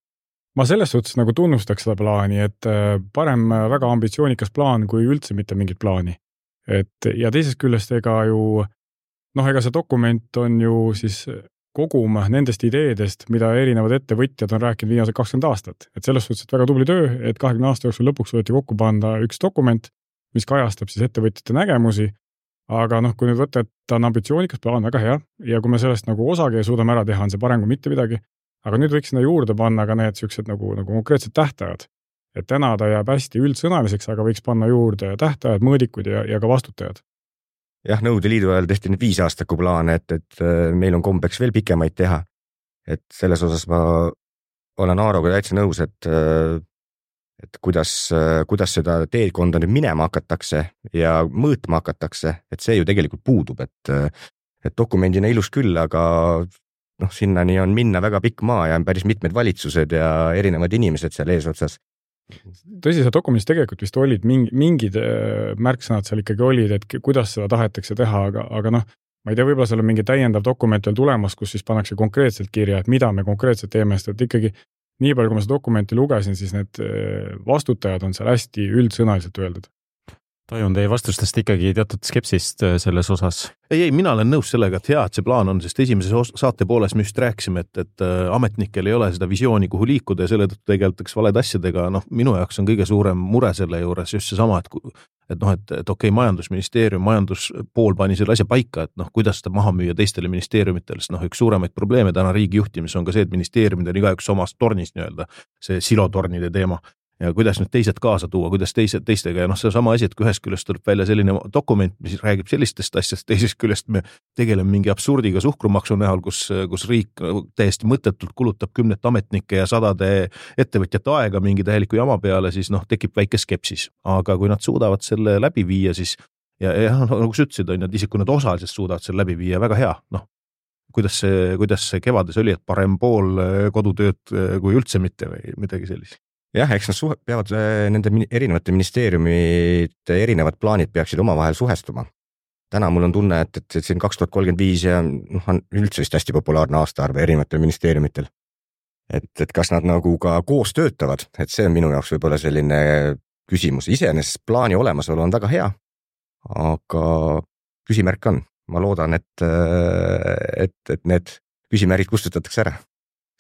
ma selles suhtes nagu tunnustaks seda plaani, et parem väga ambitsioonikas plaan kui üldse mitte mingit plaani. Et, ja teisest küljest ega ju, noh, ega see dokument on ju siis kogum nendest ideedest, mida erinevad ettevõtjad on rääkinud viimased kakskümmend aastat. Et selles suhtes, et väga tubli töö, et kahekümne aasta jooksul lõpuks võeti kokku panda üks dokument, mis kajastab siis ettevõtjate nägemusi, aga noh, kui nüüd võtta, et ta on ambitsioonikas plaan, väga hea, ja kui me sellest nagu osagi suudame ära teha, on see parem kui mitte midagi, aga nüüd võiks sinna juurde panna ka need sellised nagu, nagu konkreetsed tähtajad. Et täna ta jääb hästi üldsõnaliseks, aga võiks panna juurde tähtajad, mõõdikud ja, ja ka vastutajad. Jah, Nõukogude Liidu ajal tehti nüüd viis aastaku plaane, et, et meil on kombeks veel pikemaid teha. Et selles osas ma olen Aaroga täitsa nõus, et, et kuidas, kuidas seda teekonda nüüd minema hakatakse ja mõõtma hakatakse, et see ju tegelikult puudub, et, et dokumendina ilus küll, aga noh, sinnani on minna väga pikk maa ja on päris mitmed valitsused ja erinevad inimesed seal eesotsas. Tõsi, see dokumendis tegelikult vist olid mingi, mingid märksõnad seal ikkagi olid, et kuidas seda tahetakse teha, aga, aga noh, ma ei tea, võib-olla seal on mingi täiendav dokument veel tulemas, kus siis pannakse konkreetselt kirja, et mida me konkreetselt teeme, sest et ikkagi nii palju, kui ma seda dokumenti lugesin, siis need vastutajad on seal hästi üldsõnaliselt öeldud. Tajun teie vastustest ikkagi teatud skepsist selles osas. Ei, ei, mina olen nõus sellega, et hea, et see plaan on, sest esimeses saate pooles me just rääkisime, et, et ametnikel ei ole seda visiooni, kuhu liikuda ja selle tõttu tegeldakse valed asjadega. Noh, minu jaoks on kõige suurem mure selle juures just see sama, et, et noh, et, et okei, majandusministeerium, majanduspool pani selle asja paika, et noh, kuidas seda maha müüa teistele ministeeriumitele, sest noh, üks suuremaid probleeme täna riigi juhtimis on ka see, et ministeeriumid on igaüks omast tornis nii-öelda, see silotornide teema. ja kuidas nüüd teised kaasa tuua, kuidas teised teistega ja noh, see on sama asi, et kui ühest küljest tuleb välja selline dokument, mis räägib sellistest asjast, teisest küljest me tegeleme mingi absurdiga suhkrumaksu näol, kus, kus riik täiesti mõttetult kulutab kümnet ametnike ja sadade ettevõtjate aega mingi täieliku jama peale, siis noh, tekib väike skepsis. Aga kui nad suudavad selle läbi viia, siis ja, ja nagu sa ütlesid, on, et isegi kui nad osaliselt suudavad selle läbi viia, väga hea, noh, kuidas see, kuidas see kevades oli, et parem pool kodutööd kui üldse mitte või midagi sellist. Jah, eks nad suhe, peavad nende erinevate ministeeriumite erinevad plaanid peaksid omavahel suhestuma. Täna mul on tunne, et, et siin kaks tuhat kolmkümmend viis ja noh, on üldse vist hästi populaarne aastaarv erinevatel ministeeriumitel. Et, et kas nad nagu ka koos töötavad, et see on minu jaoks võib-olla selline küsimus. Iseenesest plaani olemasolu on väga hea, aga küsimärk on. Ma loodan, et, et, et need küsimärgid kustutatakse ära.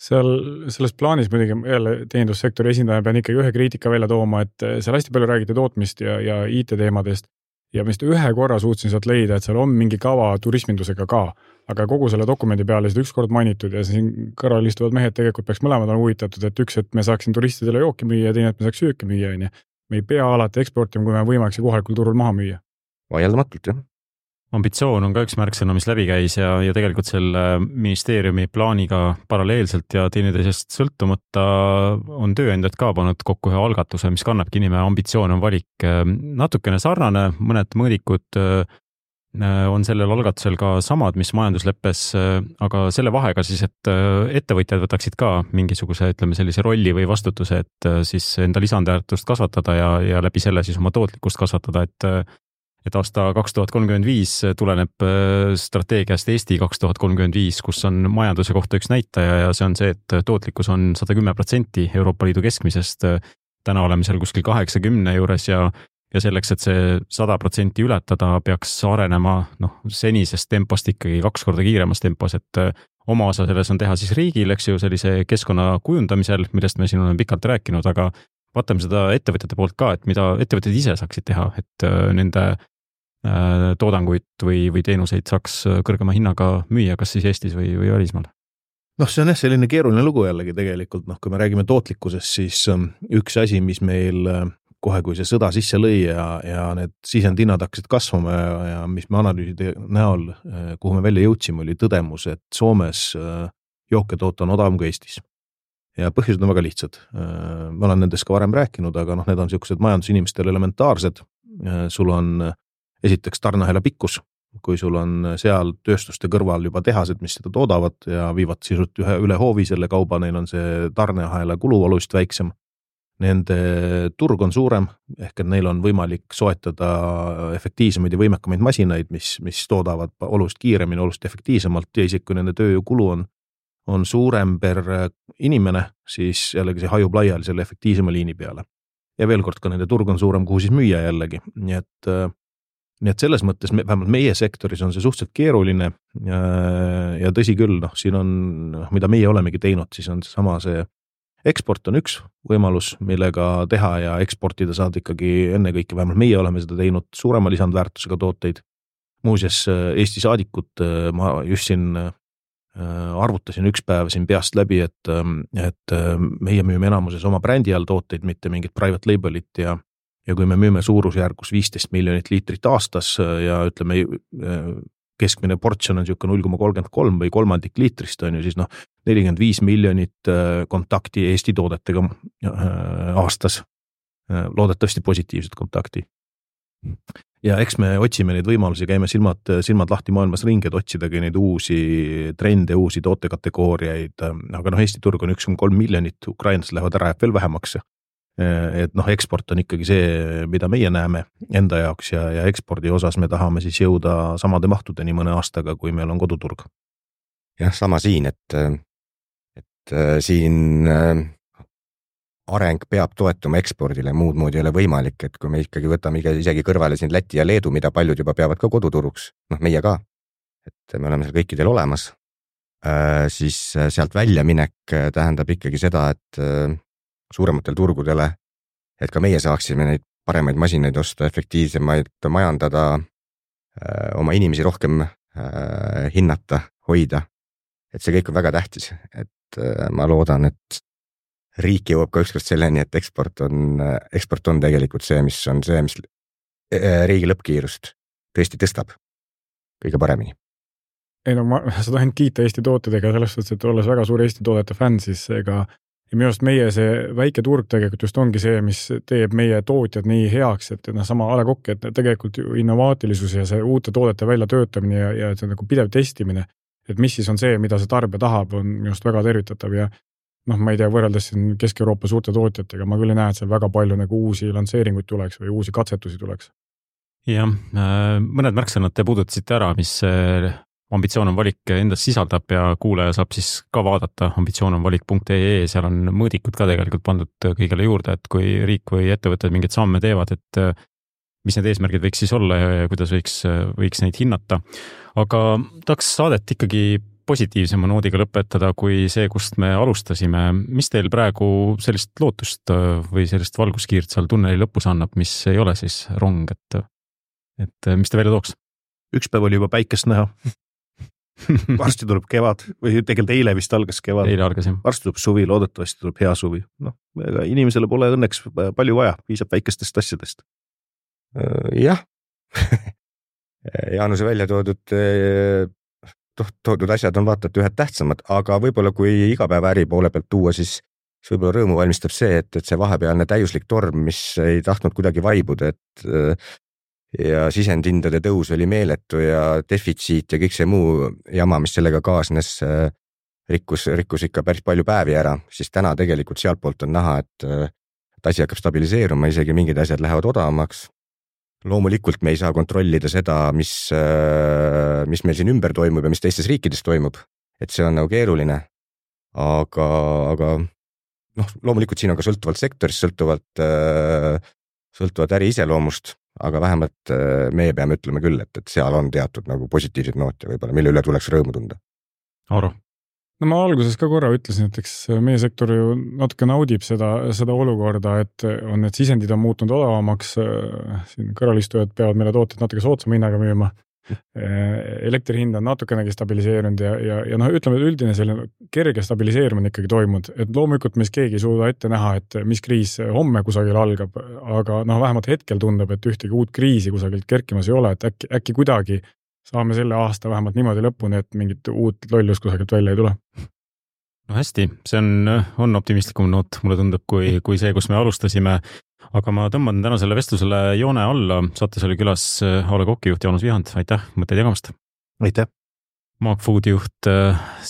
Seal selles plaanis muidugi jälle teenindussektori esindaja pean ikkagi ühe kriitika välja tooma, et seal hästi palju räägiti tootmist ja, ja I T teemadest ja vist ühe korra suutsin sealt leida, et seal on mingi kava turismindusega ka, aga kogu selle dokumendi peale seda üks kord mainitud ja siin kõrval istuvad mehed tegelikult peaks mõlemad on huvitatud, et üks, et me saaksin turistidele jooki müüa ja teine, et me saaks sööki müüa. Me ei pea alati eksportima, kui me võimalik see kohalikul turul maha müüa. Vaieldamatult, jah. Ambitsioon on ka üks märksõna, mis läbi käis ja, ja tegelikult selle ministeeriumi plaaniga paralleelselt ja teineteisest sõltumata on tööandjad ka pannud kokku ühe algatuse, mis kannabki nime Ambitsioon on valik. Natukene sarnane, mõned mõõdikud on sellel algatusel ka samad, mis majandusleppes, aga selle vahega siis, et ettevõtjad võtaksid ka mingisuguse, ütleme sellise rolli või vastutuse, et siis enda lisandväärtust kasvatada ja, ja läbi selle siis oma tootlikkust kasvatada, et et aasta kaks tuhat kolmkümmend viis tuleneb strateegiast Eesti kaks tuhat kolmkümmend viis, kus on majanduse kohta üks näitaja ja see on see, et tootlikkus on sada kümme protsenti Euroopa Liidu keskmisest. Täna oleme seal kuskil kaheksakümne juures ja, ja selleks, et see sada protsenti ületada, peaks arenema noh, senisest tempost ikkagi kaks korda kiiremas tempos, et oma osa selles on teha siis riigil, eks ju, sellise keskkonna kujundamisel, millest me siin oleme pikalt rääkinud, aga vaatame seda ettevõtjate poolt ka, et mida ettevõtted ise saaksid teha, et nende toodanguid või, või teenuseid saaks kõrgema hinnaga müüa, kas siis Eestis või, või välismaal. Noh, see on jah selline keeruline lugu jällegi tegelikult, noh, kui me räägime tootlikkusest, siis üks asi, mis meil kohe, kui see sõda sisse lõi ja, ja need sisendhinnad hakkasid kasvama ja, ja mis me analüüside näol, kuhu me välja jõudsime, oli tõdemus, et Soomes jooke toota on odavam kui Eestis. Ja põhjused on väga lihtsad. Ma olen nendest ka varem rääkinud, aga noh, need on sellised majandusinimestel elementaarsed. Sul on esiteks tarneahela pikkus, kui sul on seal tööstuste kõrval juba tehased, mis seda toodavad ja viivad sisult ühe üle hoovi selle kauba, neil on see tarneahela kulu oluliselt väiksem. Nende turg on suurem, ehk et neil on võimalik soetada efektiivsemaid ja võimekamaid masinaid, mis, mis toodavad oluliselt kiiremini, oluliselt efektiivsemalt ja isegi kui nende tööjõukulu on on suurem per inimene, siis jällegi see hajub laiali selle efektiivsema liini peale. Ja veel kord ka nende turg on suurem, kuhu siis müüa jällegi. Nii et, nii et selles mõttes, me, vähemalt meie sektoris on see suhteliselt keeruline ja, ja tõsi küll, noh, siin on, mida meie olemegi teinud, siis on sama see eksport on üks võimalus, millega teha ja eksportida saad ikkagi enne kõike, vähemalt meie oleme seda teinud suurema lisandväärtusega tooteid. Muuseas, Eesti saadikut ma just siin arvutasin üks päev siin peast läbi, et, et meie müüme enamuses oma brändi all tooteid, mitte mingit private labelit ja, ja kui me müüme suurusjärgus viisteist miljonit liitrit aastas ja ütleme, keskmine portsjon on niisugune null koma kolmkümmend kolm või kolmandik liitrist on ju, siis noh, nelikümmend viis miljonit kontakti Eesti toodetega aastas, loodetavasti positiivset kontakti. Ja eks me otsime neid võimalusi, käime silmad, silmad lahti maailmas ringi, et otsidagi neid uusi trende, uusi tootekategooriaid, aga noh, Eesti turg on üks koma kolm miljonit, Ukrainas lähevad ära, jääb veel vähemaks. Et noh, eksport on ikkagi see, mida meie näeme enda jaoks ja, ja ekspordi osas me tahame siis jõuda samade mahtudeni mõne aastaga, kui meil on koduturg. Jah, sama siin, et, et siin areng peab toetuma ekspordile, muud moodi ei ole võimalik, et kui me ikkagi võtame isegi kõrvale siin Läti ja Leedu, mida paljud juba peavad ka koduturuks, noh meie ka, et me oleme seal kõikidel olemas, siis sealt väljaminek tähendab ikkagi seda, et suurematel turgudele, et ka meie saaksime neid paremaid masinaid osta, efektiivsemaid majandada, oma inimesi rohkem hinnata, hoida, et see kõik on väga tähtis, et ma loodan, et riik jõuab ka ükskord selleni, et eksport on, eksport on tegelikult see, mis on see, mis riigi lõppkiirust tõesti tõstab kõige paremini. Ei no ma seda ainult kiita Eesti tootedega selles suhtes, et olles väga suur Eesti toodete fänn, siis ega ja minu arust meie see väike turg tegelikult just ongi see, mis teeb meie tootjad nii heaks, et no, sama A Le Coq, et tegelikult innovaatilisus ja see uute toodete välja töötamine ja, ja see nagu pidev testimine, et mis siis on see, mida see tarbija tahab, on minu arust väga tervitatav ja noh, ma ei tea, võrreldes siin Kesk-Euroopa suurte tootjatega, ma küll ei näe, et seal väga palju nagu uusi lansseeringuid tuleks või uusi katsetusi tuleks. Jah, mõned märksõnad te puudutasite ära, mis ambitsioon on valik endas sisaldab ja kuulaja saab siis ka vaadata ambitsioon on valik punkt ee, seal on mõõdikud ka tegelikult pandud kõigele juurde, et kui riik või ettevõtted mingeid samme teevad, et mis need eesmärgid võiks siis olla ja kuidas võiks, võiks neid hinnata. Aga tahaks saadet ikkagi positiivsema noodiga lõpetada kui see, kust me alustasime. Mis teil praegu sellist lootust või sellist valguskiirt seal tunneli lõpus annab, mis ei ole siis rong, et, et mis te välja tooks? Üks päev oli juba päikest näha. Varsti tuleb kevad või tegelikult eile vist algas kevad. Eile algas, jah. Varsti tuleb suvi, loodetavasti tuleb hea suvi. Noh, inimesele pole õnneks palju vaja, piisab väikestest asjadest. Jah, Jaanuse välja toodud, toodud asjad on vaata, et ühed tähtsamad, aga võib-olla kui igapäeva äri poole pealt tuua, siis võib-olla rõõmu valmistab see, et, et see vahepealne täiuslik torm, mis ei tahtnud kuidagi vaibuda, et ja sisendhindade tõus oli meeletu ja defitsiit ja kõik see muu jama, mis sellega kaasnes, rikkus, rikkus ikka päris palju päevi ära, siis täna tegelikult sealt poolt on näha, et, et asi hakkab stabiliseeruma, isegi mingid asjad lähevad odavamaks. Loomulikult me ei saa kontrollida seda, mis, mis meil siin ümber toimub ja mis teistes riikides toimub, et see on nagu keeruline, aga, aga noh, loomulikult siin on ka sõltuvalt sektorist, sõltuvalt, sõltuvalt äri iseloomust, aga vähemalt meie peame ütlema küll, et, et seal on teatud nagu positiivsed noote võib-olla, mille üle tuleks rõõmu tunda. Aaro? No ma alguses ka korra ütlesin, et eks meie sektor ju natuke naudib seda, seda olukorda, et on need sisendid on muutunud odavamaks, siin kõrvalistujad peavad meile tooted natuke soodsama hinnaga müüma, elektri hind on natukenegi stabiliseerunud ja, ja, ja noh, ütleme, et üldine selline kerge stabiliseerimine ikkagi toimunud, et loomulikult meis keegi ei suuda ette näha, et mis kriis homme kusagil algab, aga noh, vähemalt hetkel tundub, et ühtegi uut kriisi kusagilt kerkimas ei ole, et äkki, äkki kuidagi saame selle aasta vähemalt niimoodi lõpuni, et mingit uut lollust kusagilt välja ei tule. No hästi, see on, on optimistlikum noot, mulle tundub, kui, kui see, kus me alustasime. Aga ma tõmban tänasele vestlusele joone alla. Saates oli külas A Le Coqi juht Jaanus Vihand. Aitäh, mõtteid jagamast. Aitäh. Maagfoodi juht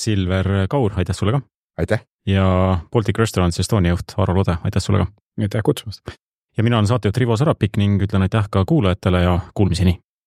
Silver Kaur, aitäh sulle ka. Aitäh. Ja Baltic Restaurants Estonia juht Aaro Lode, aitäh sulle ka. Aitäh kutsumast. Ja mina olen saatejuht Rivo Sarapik ning ütlen aitäh ka kuulajatele ja kuulmiseni.